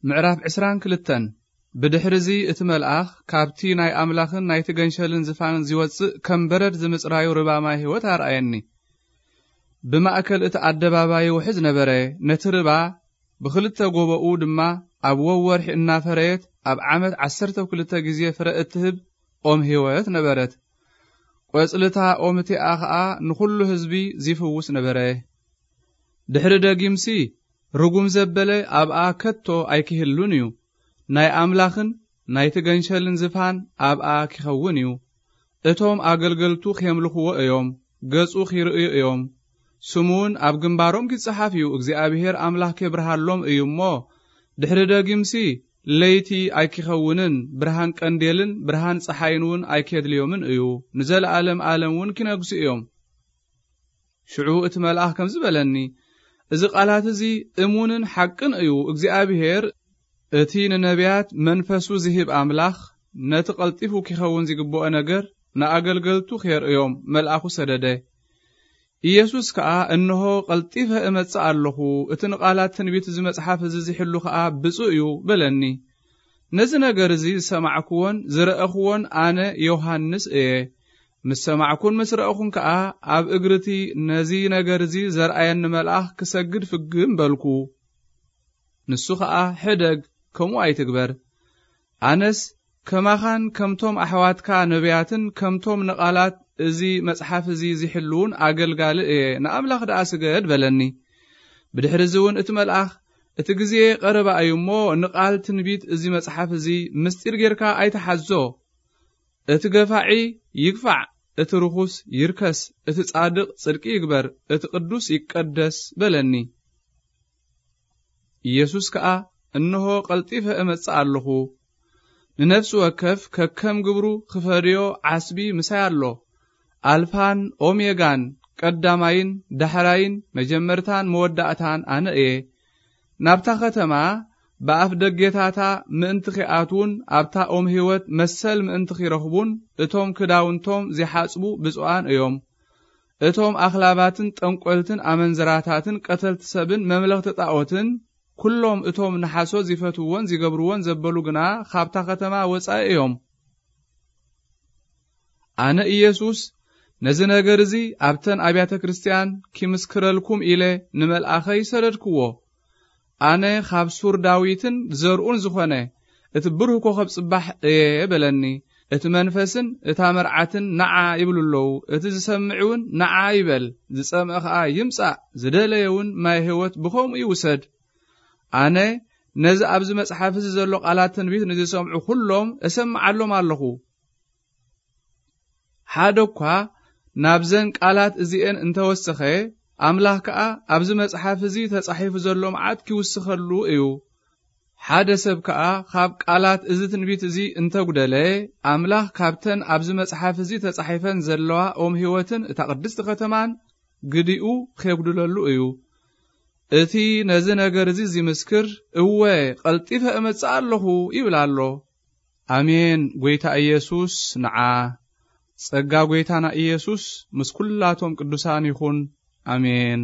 ምዕራፍ ዕስራን ክልተን። ብድሕርዚ እቲ መልኣኽ ካብቲ ናይ ኣምላኽን ናይቲ ገንሸልን ዝፋን ዝወጽእ ከም በረድ ዝምጽራዩ ርባ ማይ ህይወት ኣርኣየኒ። ብማእከል እቲ ኣደባባይ ውሕዝ ነበረ። ነቲ ርባ ብኽልተ ጎቦኡ ድማ ኣብ ወወርሒ እናፈረየት ኣብ ዓመት ዓሰርተ ክልተ ግዜ ፍረ እትህብ ኦም ህይወት ነበረት። ቆጽልታ ኦም እቲኣ ኸኣ ንኹሉ ህዝቢ ዚፍውስ ነበረ። ድሕሪ ደጊምሲ ርጉም ዘበለ ኣብኣ ከቶ ኣይኪህሉን እዩ። ናይ ኣምላኽን ናይቲ ገንሸልን ዝፋን ኣብኣ ኪኸውን እዩ። እቶም ኣገልገልቱ ኼምልኽዎ እዮም፣ ገጹ ኺርእዩ እዮም። ስሙውን ኣብ ግንባሮም ኪጸሓፍ እዩ። እግዚኣብሔር ኣምላኽ ኬብርሃሎም እዩ እሞ፣ ድሕሪ ደጊምሲ ለይቲ ኣይኪኸውንን፣ ብርሃን ቀንዴልን ብርሃን ጸሓይን እውን ኣይኬድልዮምን እዩ። ንዘለኣለም ኣለም እውን ኪነግሱ እዮም። ሽዑ እቲ መልኣኽ ከምዚ በለኒ፣ እዚ ቃላት እዚ እሙንን ሓቅን እዩ። እግዚኣብሔር እቲ ንነቢያት መንፈሱ ዝህብ ኣምላኽ ነቲ ቀልጢፉ ኪኸውን ዚግብኦ ነገር ንኣገልገልቱ ኬርእዮም መልኣኹ ሰደደ። ኢየሱስ ከኣ፣ "እንሆ ቀልጢፈ እመጽእ ኣለኹ፣ እቲ ንቓላት ትንቢት እዚ መጽሓፍ እዚ ዚሕሉ ኸኣ ብፁእ እዩ" በለኒ። ነዚ ነገር እዚ ዝሰማዕክዎን ዝረእኽዎን ኣነ ዮሃንስ እየ። ምስ ሰማዕኩን ምስ ረእኹን ከኣ ኣብ እግሪ እቲ ነዚ ነገር እዚ ዘርኣየኒ መልኣኽ ክሰግድ ፍግም በልኩ። ንሱ ኸኣ፣ "ሕደግ፣ ከምኡ ኣይትግበር። ኣነስ ከማኻን ከምቶም ኣሕዋትካ ነቢያትን ከምቶም ንቓላት እዚ መጽሓፍ እዚ ዚሕልዉን ኣገልጋሊ እየ፣ ንኣምላኽ ደኣ ስገድ" በለኒ። ብድሕሪ እዚ እውን እቲ መልኣኽ፣ "እቲ ግዜ ቀረባ እዩ እሞ፣ ንቓል ትንቢት እዚ መጽሓፍ እዚ ምስጢር ጌርካ ኣይትሓዞ። እቲ ገፋዒ ይግፋዕ፣ እቲ ርኹስ ይርከስ፣ እቲ ጻድቕ ጽድቂ ይግበር፣ እቲ ቅዱስ ይቀደስ" በለኒ። ኢየሱስ ከኣ፣ "እንሆ ቀልጢፈ እመጽእ ኣለኹ። ንነፍሲ ወከፍ ከከም ግብሩ ክፈድዮ ዓስቢ ምሳይ ኣሎ። ኣልፋን ኦሜጋን፣ ቀዳማይን ዳሕራይን፣ መጀመርታን መወዳእታን ኣነ እየ። ናብታ ኸተማ ብኣፍ ደጌታታ ምእንቲ ኺኣትዉን ኣብታ ኦም ህይወት መሰል ምእንቲ ኺረኽቡን፣ እቶም ክዳውንቶም ዚሓጽቡ ብፁዓን እዮም። እቶም ኣኽላባትን ጠንቈልትን ኣመንዝራታትን ቀተልቲ ሰብን መምለኽቲ ጣኦትን፣ ኩሎም እቶም ንሓሶት ዚፈትውዎን ዚገብርዎን ዘበሉ ግና ኻብታ ኸተማ ወጻኢ እዮም። ኣነ ኢየሱስ ነዚ ነገር እዚ ኣብተን ኣብያተ ክርስትያን ኪምስክረልኩም ኢለ ንመልኣኸይ ሰደድክዎ። ኣነ ኻብ ሱር ዳዊትን ዘርኡን ዝኾነ እቲ ብሩህ ኮኸብ ጽባሕ እየ በለኒ። እቲ መንፈስን እታ መርዓትን ንዓ ይብሉ ኣለዉ። እቲ ዝሰምዕ እውን ንዓ ይበል። ዝጸምአ ኸኣ ይምጻእ፣ ዝደለየ እውን ማይ ህይወት ብኸምኡ ይውሰድ። ኣነ ነዚ ኣብዚ መጽሓፍ እዚ ዘሎ ቃላት ትንቢት ንዝሰምዑ ኹሎም እሰምዓሎም ኣለኹ። ሓደ እኳ ናብዘን ቃላት እዚኤን እንተወሰኸ፣ ኣምላኽ ከኣ ኣብዚ መጽሓፍ እዚ ተጻሒፉ ዘሎ መዓት ኪውስኸሉ እዩ። ሓደ ሰብ ከኣ ካብ ቃላት እዚ ትንቢት እዚ እንተጉደለ፣ ኣምላኽ ካብተን ኣብዚ መጽሓፍ እዚ ተጻሒፈን ዘለዋ ኦም ህይወትን እታ ቅድስቲ ከተማን ግዲኡ ኼጉድለሉ እዩ። እቲ ነዚ ነገር እዚ ዚምስክር፣ "እወ፣ ቀልጢፈ እመጽእ ኣለኹ" ይብል ኣሎ። ኣሜን። ጐይታ ኢየሱስ ንዓ። ጸጋ ጐይታና ኢየሱስ ምስ ኵላቶም ቅዱሳን ይኹን። ኣሜን።